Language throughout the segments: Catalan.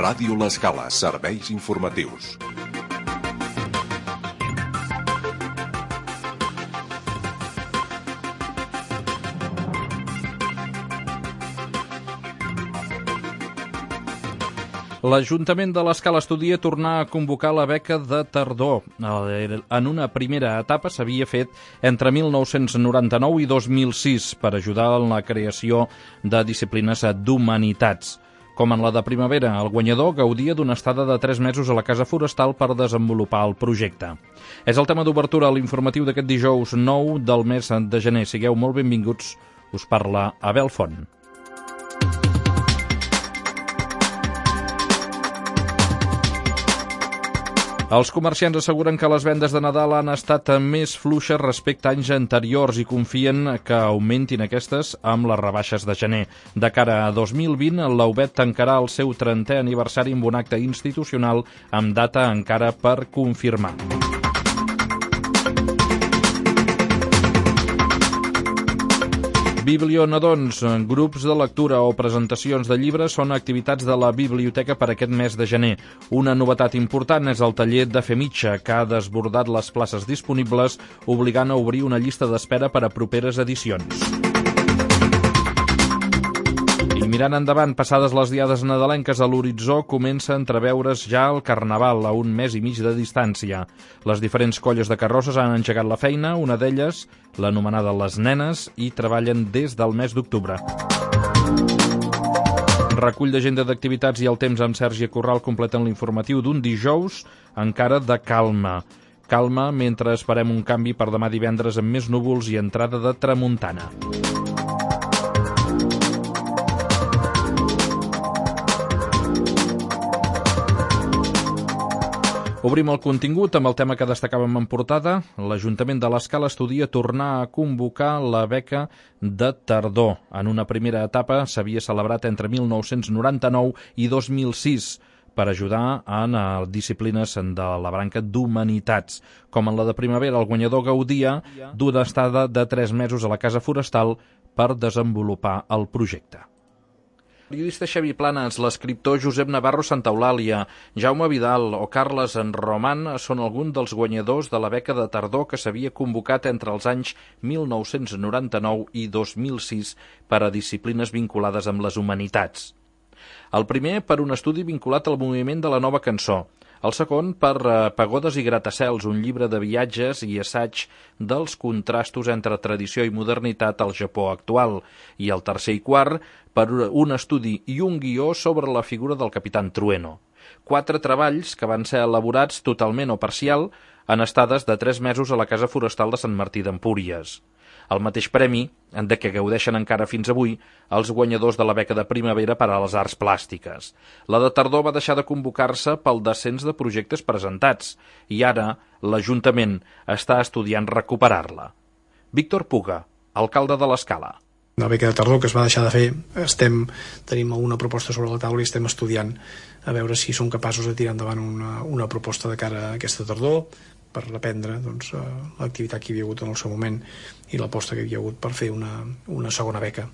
Ràdio L'Escala, serveis informatius. L'Ajuntament de l'Escala estudia tornar a convocar la beca de tardor. En una primera etapa s'havia fet entre 1999 i 2006 per ajudar en la creació de disciplines d'humanitats. Com en la de primavera, el guanyador gaudia d'una estada de 3 mesos a la Casa Forestal per desenvolupar el projecte. És el tema d'obertura a l'informatiu d'aquest dijous 9 del mes de gener. Sigueu molt benvinguts. Us parla Abel Font. Els comerciants asseguren que les vendes de Nadal han estat més fluixes respecte a anys anteriors i confien que augmentin aquestes amb les rebaixes de gener. De cara a 2020, l'Aubet tancarà el seu 30è aniversari amb un acte institucional amb data encara per confirmar. Biblionadons, grups de lectura o presentacions de llibres són activitats de la biblioteca per aquest mes de gener. Una novetat important és el taller de fer mitja, que ha desbordat les places disponibles, obligant a obrir una llista d'espera per a properes edicions. I mirant endavant, passades les diades nadalenques, a l'horitzó comença a entreveure's ja el Carnaval a un mes i mig de distància. Les diferents colles de carrosses han engegat la feina, una d'elles, l'anomenada Les Nenes, i treballen des del mes d'octubre. Recull d'agenda d'activitats i el temps amb Sergi Corral completen l'informatiu d'un dijous encara de calma. Calma mentre esperem un canvi per demà divendres amb més núvols i entrada de tramuntana. Obrim el contingut amb el tema que destacàvem en portada. L'Ajuntament de l'Escala estudia tornar a convocar la beca de tardor. En una primera etapa s'havia celebrat entre 1999 i 2006 per ajudar en disciplines de la branca d'humanitats. Com en la de primavera, el guanyador gaudia d'una estada de 3 mesos a la Casa Forestal per desenvolupar el projecte. El periodista Xavi Planas, l'escriptor Josep Navarro Santaeulàlia, Jaume Vidal o Carles Roman són alguns dels guanyadors de la beca de tardor que s'havia convocat entre els anys 1999 i 2006 per a disciplines vinculades amb les humanitats. El primer per un estudi vinculat al moviment de la nova cançó. El segon per Pagodes i gratacels, un llibre de viatges i assaig dels contrastos entre tradició i modernitat al Japó actual. I el tercer i quart per un estudi i un guió sobre la figura del Capitán Trueno. 4 treballs que van ser elaborats totalment o parcial en estades de 3 mesos a la Casa Forestal de Sant Martí d'Empúries. El mateix premi, de què gaudeixen encara fins avui, els guanyadors de la beca de primavera per a les arts plàstiques. La de tardor va deixar de convocar-se pel descens de projectes presentats i ara l'Ajuntament està estudiant recuperar-la. Víctor Puga, alcalde de l'Escala. La beca de tardor que es va deixar de fer, tenim una proposta sobre la taula i estem estudiant a veure si som capaços de tirar endavant una proposta de cara a aquesta tardor per reprendre l'activitat que hi havia hagut en el seu moment i l'aposta que hi havia hagut per fer una segona beca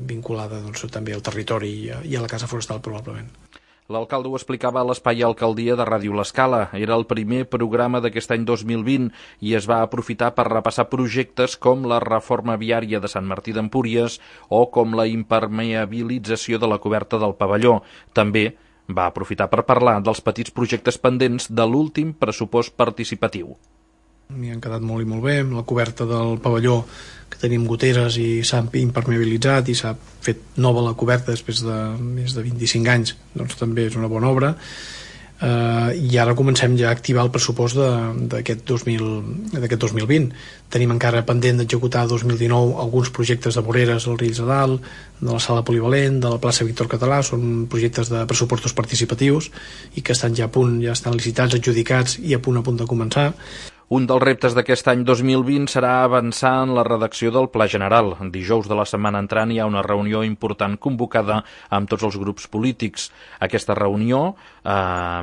vinculada també al territori i a la Casa Forestal probablement. L'alcalde ho explicava a l'Espai Alcaldia de Ràdio L'Escala. Era el primer programa d'aquest any 2020 i es va aprofitar per repassar projectes com la reforma viària de Sant Martí d'Empúries o com la impermeabilització de la coberta del pavelló. També va aprofitar per parlar dels petits projectes pendents de l'últim pressupost participatiu. M'hi han quedat molt i molt bé, amb la coberta del pavelló que tenim goteres i s'ha impermeabilitzat i s'ha fet nova la coberta després de més de 25 anys, doncs també és una bona obra. I ara comencem ja a activar el pressupost d'aquest 2020. Tenim encara pendent d'executar 2019 alguns projectes de voreres al Riells de Dalt, de la sala polivalent, de la plaça Víctor Català. Són projectes de pressupostos participatius i que estan ja a punt, ja estan licitats, adjudicats i a punt de començar. Un dels reptes d'aquest any 2020 serà avançar en la redacció del Pla General. Dijous de la setmana entrant hi ha una reunió important convocada amb tots els grups polítics. Aquesta reunió,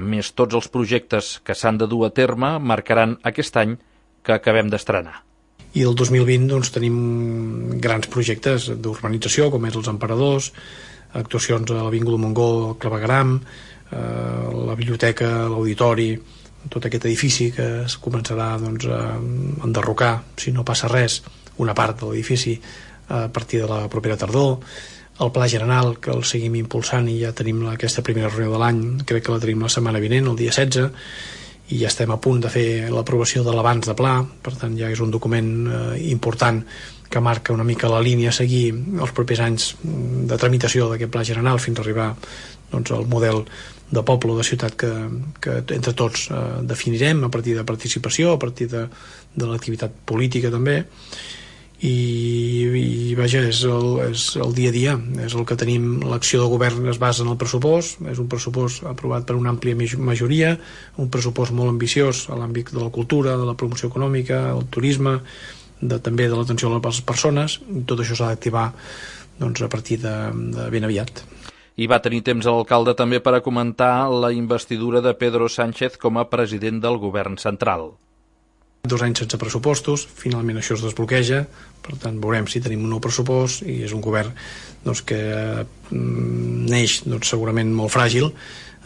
més tots els projectes que s'han de dur a terme, marcaran aquest any que acabem d'estrenar. I el 2020 tenim grans projectes d'urbanització, com és els Emperadors, actuacions a l'Avinguda Montgó, al Clavegueram, la biblioteca, l'auditori, tot aquest edifici que es començarà doncs, a enderrocar, si no passa res, una part de l'edifici a partir de la propera tardor, el Pla General, que el seguim impulsant i ja tenim aquesta primera reunió de l'any, crec que la tenim la setmana vinent, el dia 16, i ja estem a punt de fer l'aprovació de l'abans de pla, per tant ja és un document important que marca una mica la línia a seguir els propers anys de tramitació d'aquest Pla General fins a arribar doncs, al model de poble o de ciutat que entre tots definirem a partir de participació, a partir de l'activitat política també, i vaja, és el dia a dia, és el que tenim. L'acció de govern es basa en el pressupost, és un pressupost aprovat per una àmplia majoria, un pressupost molt ambiciós a l'àmbit de la cultura, de la promoció econòmica, el turisme, també de l'atenció a les persones, i tot això s'ha d'activar doncs, a partir de ben aviat. I va tenir temps l'alcalde també per a comentar la investidura de Pedro Sánchez com a president del govern central. 2 anys sense pressupostos, finalment això es desbloqueja, per tant veurem si tenim un nou pressupost, i és un govern doncs, que neix doncs, segurament molt fràgil,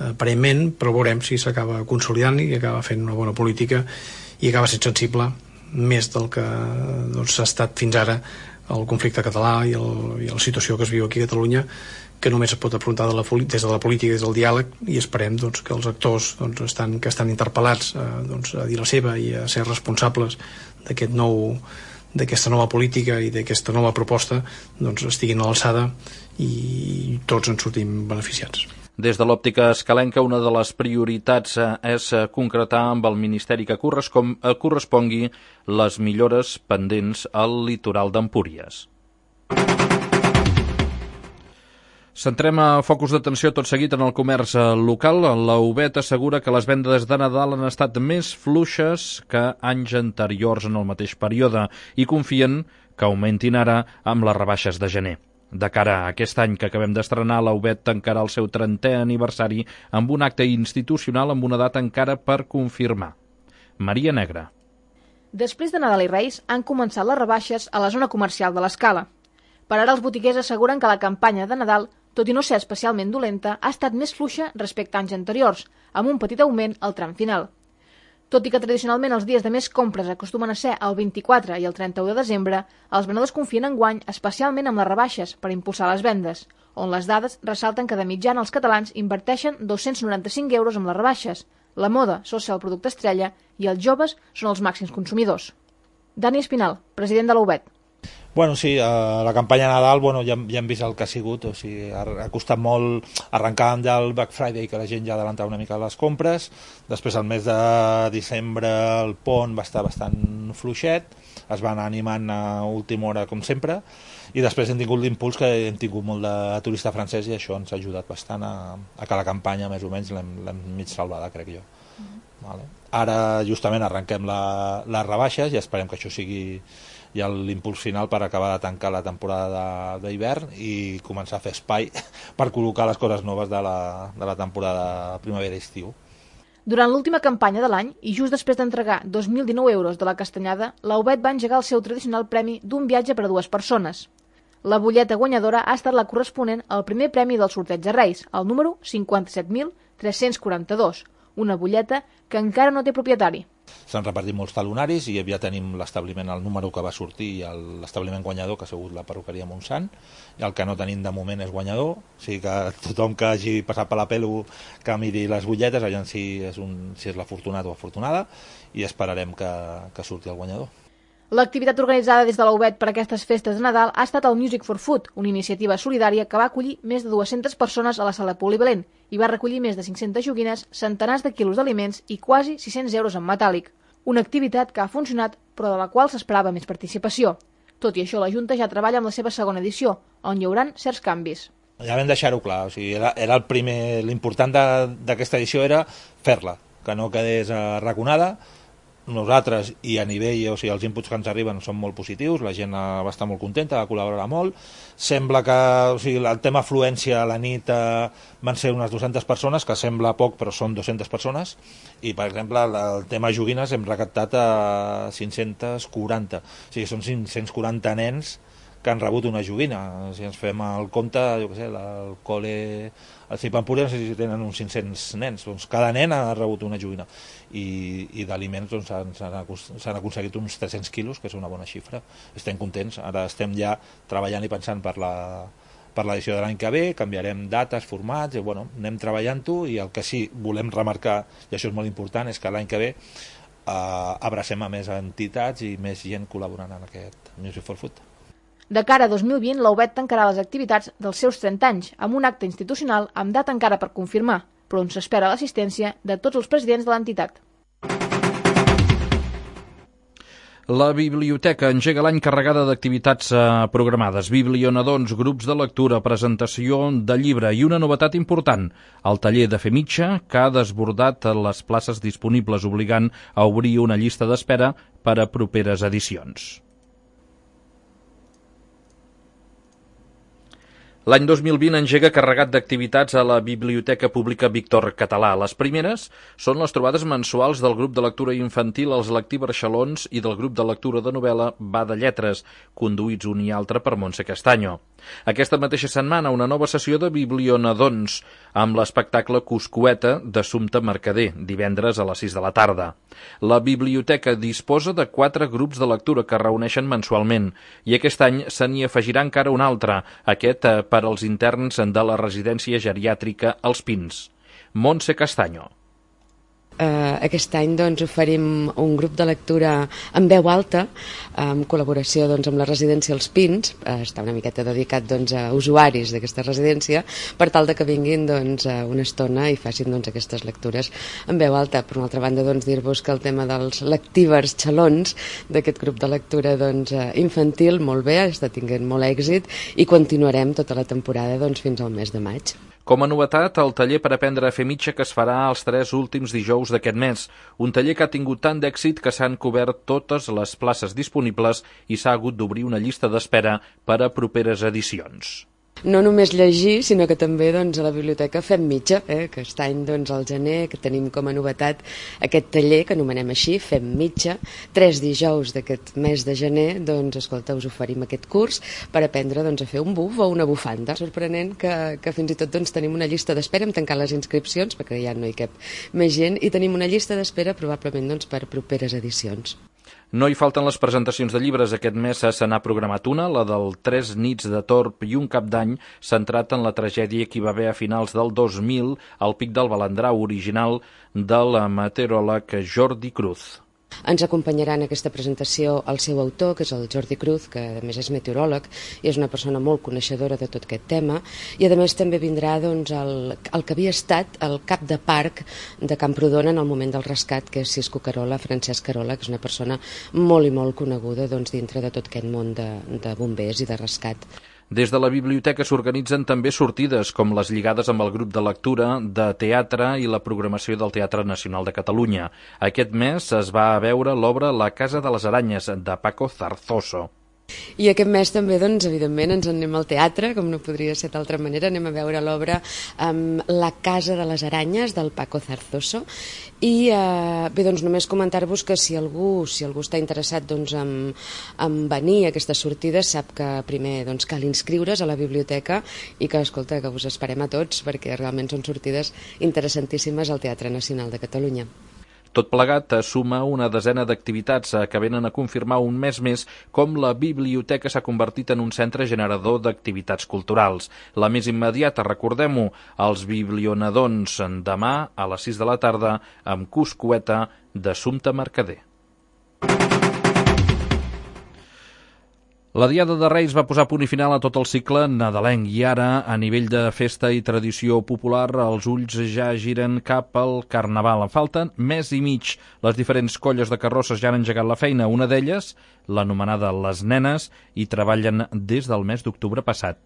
aparentment, però veurem si s'acaba consolidant i acaba fent una bona política i acaba sent sensible més del que doncs, s'ha estat fins ara el conflicte català i la situació que es viu aquí a Catalunya, que només es pot afrontar des de la política, des del diàleg, i esperem doncs, que els actors doncs, que estan interpel·lats doncs, a dir la seva i a ser responsables d'aquesta nova política i d'aquesta nova proposta doncs, estiguin a l'alçada i tots en sortim beneficiats. Des de l'òptica escalenca, una de les prioritats és concretar amb el Ministeri que correspongui les millores pendents al litoral d'Empúries. Centrem a focus d'atenció tot seguit en el comerç local. La UBET assegura que les vendes de Nadal han estat més fluixes que anys anteriors en el mateix període i confien que augmentin ara amb les rebaixes de gener. De cara a aquest any que acabem d'estrenar, la UBET tancarà el seu 30è aniversari amb un acte institucional amb una data encara per confirmar. Maria Negra. Després de Nadal i Reis han començat les rebaixes a la zona comercial de l'Escala. Per ara els botiguers asseguren que la campanya de Nadal, tot i no ser especialment dolenta, ha estat més fluixa respecte a anys anteriors, amb un petit augment al tram final. Tot i que tradicionalment els dies de més compres acostumen a ser el 24 i el 31 de desembre, els venedors confien enguany especialment amb les rebaixes per impulsar les vendes, on les dades ressalten que de mitjana els catalans inverteixen 295 euros amb les rebaixes. La moda sol ser el producte estrella i els joves són els màxims consumidors. Dani Espinal, president de la UBET. Bueno, sí, la campanya de Nadal ja hem vist el que ha sigut, o sigui, ha costat molt arrencar amb el Black Friday, que la gent ja adelantava una mica les compres, després el mes de desembre el pont va estar bastant fluixet, es va anar animant a última hora com sempre, i després hem tingut l'impuls que hem tingut molt de turista francès i això ens ha ajudat bastant a que la campanya més o menys l'hem mig salvada, crec jo. Vale. Ara justament arrenquem les rebaixes i esperem que això sigui ja l'impuls final per acabar de tancar la temporada d'hivern i començar a fer espai per col·locar les coses noves de la temporada primavera-estiu. Durant l'última campanya de l'any, i just després d'entregar 2.019 euros de la castanyada, la UBET va engegar el seu tradicional premi d'un viatge per a 2 persones. La butlleta guanyadora ha estat la corresponent al primer premi del sorteig de Reis, el número 57.342, una butlleta que encara no té propietari. S'han repartit molts talonaris i ja tenim l'establiment, el número que va sortir i l'establiment guanyador, que ha sigut la perruqueria Montsant, i el que no tenim de moment és guanyador, o sigui que tothom que hagi passat per la pelu que miri les butlletes, aviam si és l'afortunat o afortunada, i esperarem que surti el guanyador. L'activitat organitzada des de la UBET per a aquestes festes de Nadal ha estat el Music for Food, una iniciativa solidària que va acollir més de 200 persones a la sala polivalent i va recollir més de 500 joguines, centenars de quilos d'aliments i quasi 600 euros en metàl·lic. Una activitat que ha funcionat però de la qual s'esperava més participació. Tot i això, la Junta ja treballa amb la seva segona edició, on hi haurà certs canvis. Ja vam deixar-ho clar, o sigui, era el primer, l'important d'aquesta edició era fer-la, que no quedés arraconada. Nosaltres i a nivell, o sigui, els inputs que ens arriben són molt positius, la gent va estar molt contenta, va col·laborar molt. Sembla que el tema afluència a la nit van ser unes 200 persones, que sembla poc però són 200 persones, i per exemple el tema joguines hem recaptat a 540, o sigui, són 540 nens que han rebut una joguina. Si ens fem el compte, jo què sé, el col·le, al CIP Empúries, no sé si tenen uns 500 nens, doncs cada nen ha rebut una joguina. I d'aliments doncs, s'han aconseguit uns 300 quilos, que és una bona xifra. Estem contents, ara estem ja treballant i pensant per l'edició de l'any que ve, canviarem dates, formats, i bueno, anem treballant-ho, i el que sí volem remarcar, i això és molt important, és que l'any que ve abracem a més entitats i més gent col·laborant en aquest Music for Food. De cara a 2020, la UBET tancarà les activitats dels seus 30 anys amb un acte institucional amb data encara per confirmar, però on s'espera l'assistència de tots els presidents de l'entitat. La biblioteca engega l'any carregada d'activitats programades, biblionadons, grups de lectura, presentació de llibre i una novetat important, el taller de fer mitja, que ha desbordat les places disponibles, obligant a obrir una llista d'espera per a properes edicions. L'any 2020 engega carregat d'activitats a la Biblioteca Pública Víctor Català. Les primeres són les trobades mensuals del grup de lectura infantil Els Lectibarxalons i del grup de lectura de novel·la Va de Lletres, conduïts un i altre per Montse Castanyo. Aquesta mateixa setmana, una nova sessió de biblionadons amb l'espectacle Cuscueta d'Assumpta Mercader, divendres a les 6 de la tarda. La biblioteca disposa de 4 grups de lectura que reuneixen mensualment i aquest any se n'hi afegirà encara un altre, aquest per als interns de la residència geriàtrica Els Pins. Montse Castanyo. Aquest any oferim un grup de lectura en veu alta, en col·laboració amb la residència Els Pins, està una miqueta dedicat a usuaris d'aquesta residència, per tal que vinguin una estona i facin aquestes lectures en veu alta. Per una altra banda, dir-vos que el tema dels lectibarxalons, d'aquest grup de lectura infantil, molt bé, està tinguent molt èxit i continuarem tota la temporada fins al mes de maig. Com a novetat, el taller per aprendre a fer mitja que es farà els 3 últims dijous d'aquest mes. Un taller que ha tingut tant d'èxit que s'han cobert totes les places disponibles i s'ha hagut d'obrir una llista d'espera per a properes edicions. No només llegir, sinó que també a la biblioteca fem mitja, que aquest any al gener que tenim com a novetat aquest taller que anomenem així, fem mitja. 3 dijous d'aquest mes de gener, escolta, us oferim aquest curs per aprendre a fer un buf o una bufanda. Sorprenent que fins i tot tenim una llista d'espera, hem tancat les inscripcions perquè ja no hi cap més gent i tenim una llista d'espera probablement per properes edicions. No hi falten les presentacions de llibres. Aquest mes se n'ha programat una, la del 3 nits de Torb i un cap d'any, centrat en la tragèdia que hi va haver a finals del 2000 al Pic del Balandrau, original del meteoròleg Jordi Cruz. Ens acompanyarà en aquesta presentació el seu autor, que és el Jordi Cruz, que a més és meteoròleg i és una persona molt coneixedora de tot aquest tema, i a més també vindrà el que havia estat el cap de parc de Camprodon en el moment del rescat, que és Cisco Carola, Francesc Carola, que és una persona molt i molt coneguda dintre de tot aquest món de bombers i de rescat. Des de la biblioteca s'organitzen també sortides, com les lligades amb el grup de lectura, de teatre i la programació del Teatre Nacional de Catalunya. Aquest mes es va a veure l'obra La Casa de les Aranyes, de Paco Zarzoso. I aquest mes també, evidentment, ens anem al teatre, com no podria ser d'altra manera, anem a veure l'obra La Casa de les Aranyes, del Paco Zarzoso, i bé, només comentar-vos que si algú està interessat en venir a aquestes sortides, sap que primer cal inscriure's a la biblioteca i que, escolta, que us esperem a tots, perquè realment són sortides interessantíssimes al Teatre Nacional de Catalunya. Tot plegat suma una desena d'activitats que venen a confirmar un mes més com la biblioteca s'ha convertit en un centre generador d'activitats culturals. La més immediata, recordem-ho, els biblionadons demà a les 6 de la tarda amb Cuscueta d'Assumpta Mercader. La Diada de Reis va posar punt i final a tot el cicle nadalenc i ara, a nivell de festa i tradició popular, els ulls ja giren cap al Carnaval. En falten mes i mig. Les diferents colles de carrosses ja han engegat la feina. Una d'elles, l'anomenada Les Nenes, hi treballen des del mes d'octubre passat.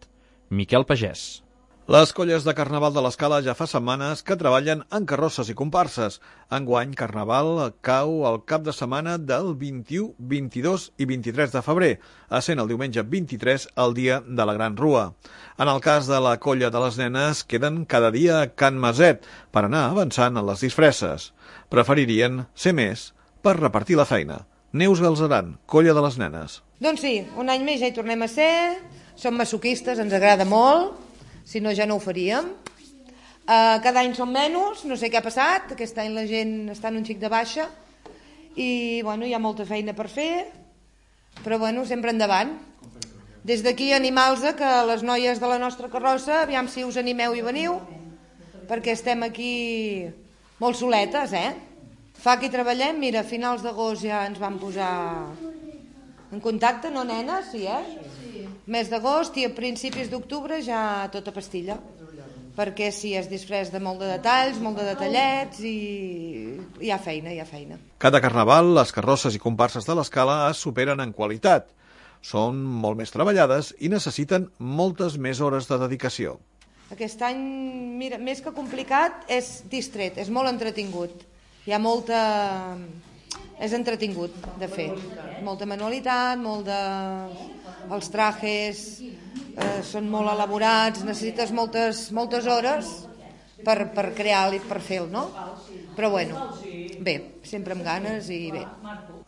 Miquel Pagès. Les colles de Carnaval de l'Escala ja fa setmanes que treballen en carrosses i comparses. Enguany, Carnaval cau el cap de setmana del 21, 22 i 23 de febrer, essent el diumenge 23 el dia de la Gran Rua. En el cas de la colla de les nenes, queden cada dia a Can Maset per anar avançant en les disfresses. Preferirien ser més per repartir la feina. Neus Galzeran, colla de les nenes. Doncs sí, un any més ja hi tornem a ser, som masoquistes, ens agrada molt, si no ja no ho faríem. Cada any som menys, no sé què ha passat, aquest any la gent està en un xic de baixa i bueno, hi ha molta feina per fer, però bueno, sempre endavant. Des d'aquí animals que les noies de la nostra carrossa, aviam si us animeu i veniu, perquè estem aquí molt soletes, Fa que hi treballem, mira, a finals d'agost ja ens vam posar en contacte, no nenes? Sí, Sí. Mes d'agost i a principis d'octubre ja tota pastilla, perquè sí, es disfressa de molt de detalls, molt de detallets i hi ha feina, hi ha feina. Cada carnaval, les carrosses i comparses de l'Escala es superen en qualitat. Són molt més treballades i necessiten moltes més hores de dedicació. Aquest any, mira, més que complicat, és distret, és molt entretingut. Hi ha molta... És entretingut de fer. Molta manualitat, molt de... Els trajes són molt elaborats, necessites moltes hores per crear-li, per fer-lo, no? Però bueno, bé, sempre amb ganes i bé.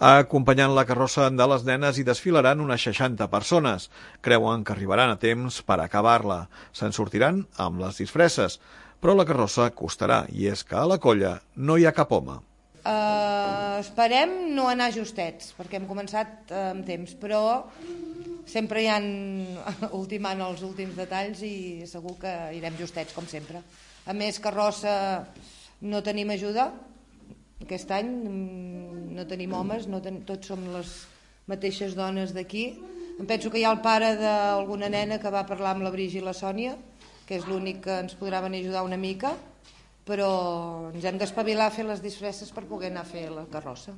Acompanyant la carrossa de les nenes hi desfilaran unes 60 persones. Creuen que arribaran a temps per acabar-la. Se'n sortiran amb les disfresses, però la carrossa costarà, i és que a la colla no hi ha cap home. Esperem no anar justets, perquè hem començat amb temps, però sempre hi ha ultimant els últims detalls i segur que irem justets, com sempre. A més, carrossa no tenim ajuda, aquest any no tenim homes, tots som les mateixes dones d'aquí. Em penso que hi ha el pare d'alguna nena que va parlar amb la Brigi i la Sònia, que és l'únic que ens podrà venir a ajudar una mica, però ens hem d'espavilar a fer les disfresses per poder anar a fer la carrossa.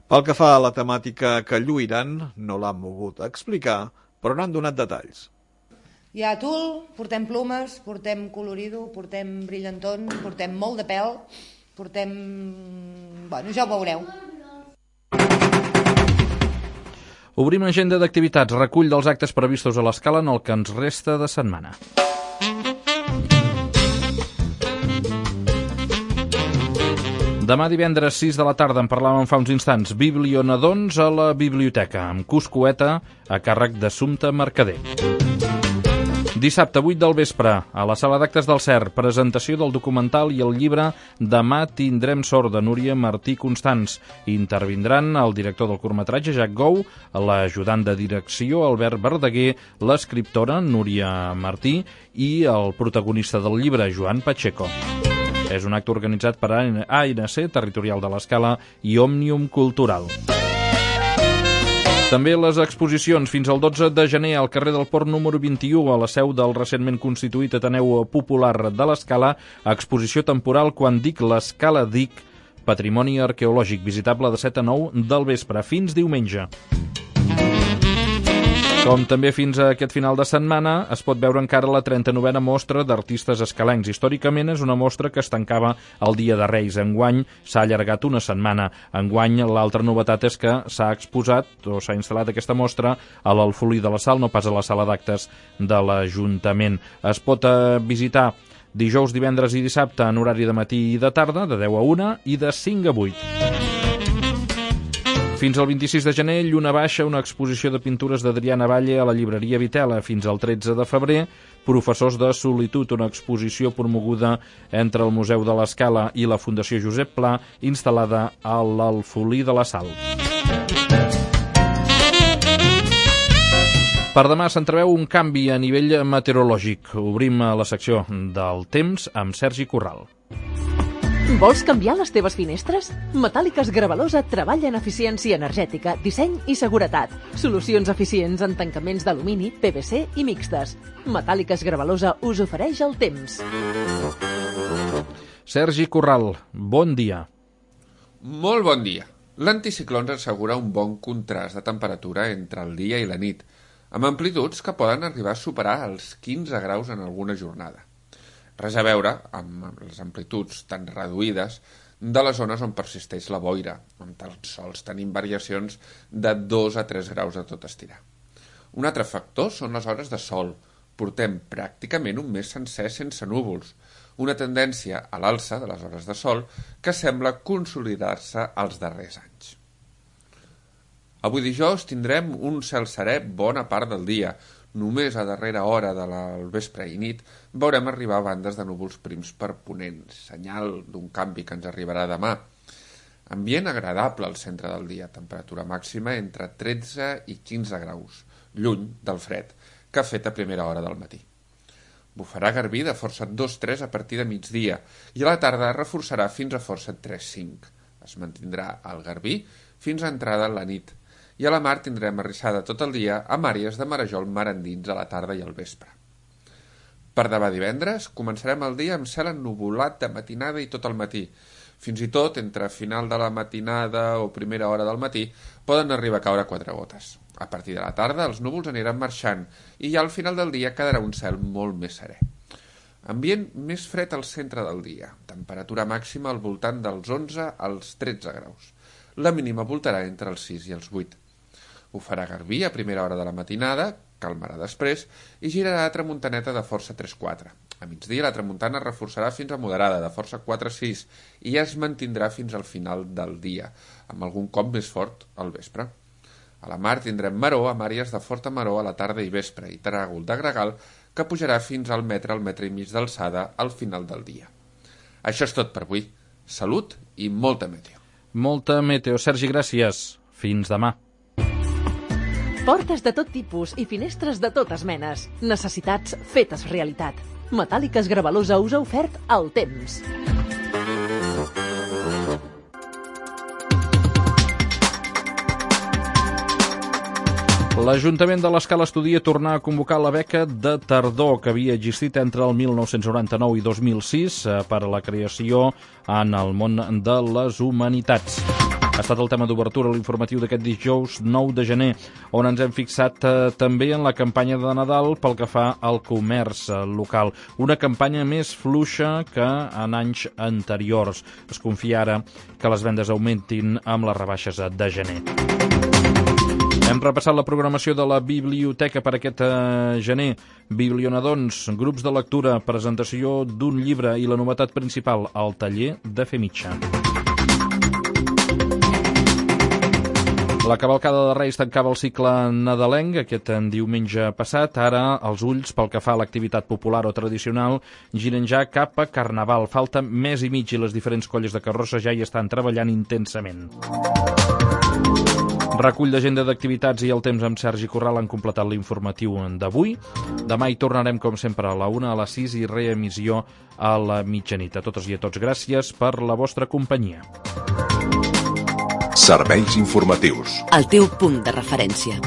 Pel que fa a la temàtica que lluiran, no l'han mogut explicar, però n'han donat detalls. Hi ha tul, portem plumes, portem colorido, portem brillantons, portem molt de pèl, portem... Bueno, ja ho veureu. Obrim agenda d'activitats, recull dels actes previstos a l'Escala en el que ens resta de setmana. Demà divendres 6 de la tarda, en parlàvem fa uns instants, Biblionadons a la biblioteca, amb Cuscoeta a càrrec d'Assumpta Mercader. Dissabte 8 del vespre, a la sala d'actes del CER, presentació del documental i el llibre Demà tindrem sort, de Núria Martí Constants. Intervindran el director del curtmetratge, Jack Gou, l'ajudant de direcció, Albert Verdaguer, l'escriptora, Núria Martí, i el protagonista del llibre, Joan Pacheco. És un acte organitzat per ANC, Territorial de l'Escala, i Òmnium Cultural. També les exposicions fins al 12 de gener al carrer del Port número 21, a la seu del recentment constituït Ateneu Popular de l'Escala, exposició temporal Quan dic l'Escala dic, patrimoni arqueològic, visitable de 7 a 9 del vespre, fins diumenge. Com també fins a aquest final de setmana es pot veure encara la 39a mostra d'artistes escalencs. Històricament és una mostra que es tancava el dia de Reis. Enguany s'ha allargat una setmana. Enguany l'altra novetat és que s'ha exposat o s'ha instal·lat aquesta mostra a l'Alfolí de la Sal, no pas a la sala d'actes de l'Ajuntament. Es pot visitar dijous, divendres i dissabte en horari de matí i de tarda, de 10 a 1 i de 5 a 8. Fins al 26 de gener, Lluna Baixa, una exposició de pintures d'Adriana Valle a la llibreria Vitela. Fins al 13 de febrer, Professors de Solitud, una exposició promoguda entre el Museu de l'Escala i la Fundació Josep Pla, instal·lada a l'Alfolí de la Sal. Per demà s'entreveu un canvi a nivell meteorològic. Obrim la secció del temps amb Sergi Corral. Vols canviar les teves finestres? Metàl·liques Gravalosa treballa en eficiència energètica, disseny i seguretat. Solucions eficients en tancaments d'alumini, PVC i mixtes. Metàl·liques Gravalosa us ofereix el temps. Sergi Corral, bon dia. Molt bon dia. L'anticicló ens assegura un bon contrast de temperatura entre el dia i la nit, amb amplituds que poden arribar a superar els 15 graus en alguna jornada. Res a veure amb les amplituds tan reduïdes de les zones on persisteix la boira, on tan sols tenim variacions de 2 a 3 graus a tot estirar. Un altre factor són les hores de sol. Portem pràcticament un mes sencer sense núvols, una tendència a l'alça de les hores de sol que sembla consolidar-se als darrers anys. Avui dijous tindrem un cel serè bona part del dia. Només a darrera hora del vespre i nit veurem arribar bandes de núvols prims per ponent, senyal d'un canvi que ens arribarà demà. Ambient agradable al centre del dia, temperatura màxima entre 13 i 15 graus, lluny del fred que ha fet a primera hora del matí. Bufarà garbí de força 2-3 a partir de migdia i a la tarda reforçarà fins a força 3-5. Es mantindrà el garbí fins a entrada la nit i a la mar tindrem arrissada tot el dia amb àrees de marejol mar endins a la tarda i al vespre. Per demà divendres començarem el dia amb cel ennuvolat de matinada i tot el matí. Fins i tot, entre final de la matinada o primera hora del matí, poden arribar a caure 4 gotes. A partir de la tarda, els núvols aniran marxant i ja al final del dia quedarà un cel molt més serè. Ambient més fred al centre del dia. Temperatura màxima al voltant dels 11 als 13 graus. La mínima voltarà entre els 6 i els 8. Ho farà garbí a primera hora de la matinada, calmarà després i girarà a tramuntaneta de força 3-4. A migdia la tramuntana reforçarà fins a moderada, de força 4-6, i ja es mantindrà fins al final del dia, amb algun cop més fort al vespre. A la mar tindrem maror amb àrees de forta maror a la tarda i vespre i tràgol de gregal que pujarà fins al metre i mig d'alçada al final del dia. Això és tot per avui. Salut i molta meteo. Molta meteo. Sergi, gràcies. Fins demà. Portes de tot tipus i finestres de totes menes. Necessitats fetes realitat. Metàl·liques Gravalusa us ha ofert el temps. L'Ajuntament de l'Escala estudia tornar a convocar la beca de tardor que havia existit entre el 1999 i 2006 per a la creació en el món de les humanitats. Ha estat el tema d'obertura a l'informatiu d'aquest dijous 9 de gener, on ens hem fixat també en la campanya de Nadal pel que fa al comerç local. Una campanya més fluixa que en anys anteriors. Es confia ara que les vendes augmentin amb les rebaixes de gener. Hem repassat la programació de la biblioteca per aquest gener. Biblionadons, grups de lectura, presentació d'un llibre i la novetat principal, el taller de fer mitja. La cavalcada de Reis tancava el cicle nadalenc aquest diumenge passat. Ara els ulls, pel que fa a l'activitat popular o tradicional, giren ja cap a Carnaval. Falta mes i mig i les diferents colles de carrossa ja hi estan treballant intensament. Recull d'agenda d'activitats i el temps amb Sergi Corral han completat l'informatiu d'avui. Demà hi tornarem, com sempre, a la 1, a les 6 i reemissió a la mitjanit. A totes i a tots, gràcies per la vostra companyia. Serveis informatius. El teu punt de referència.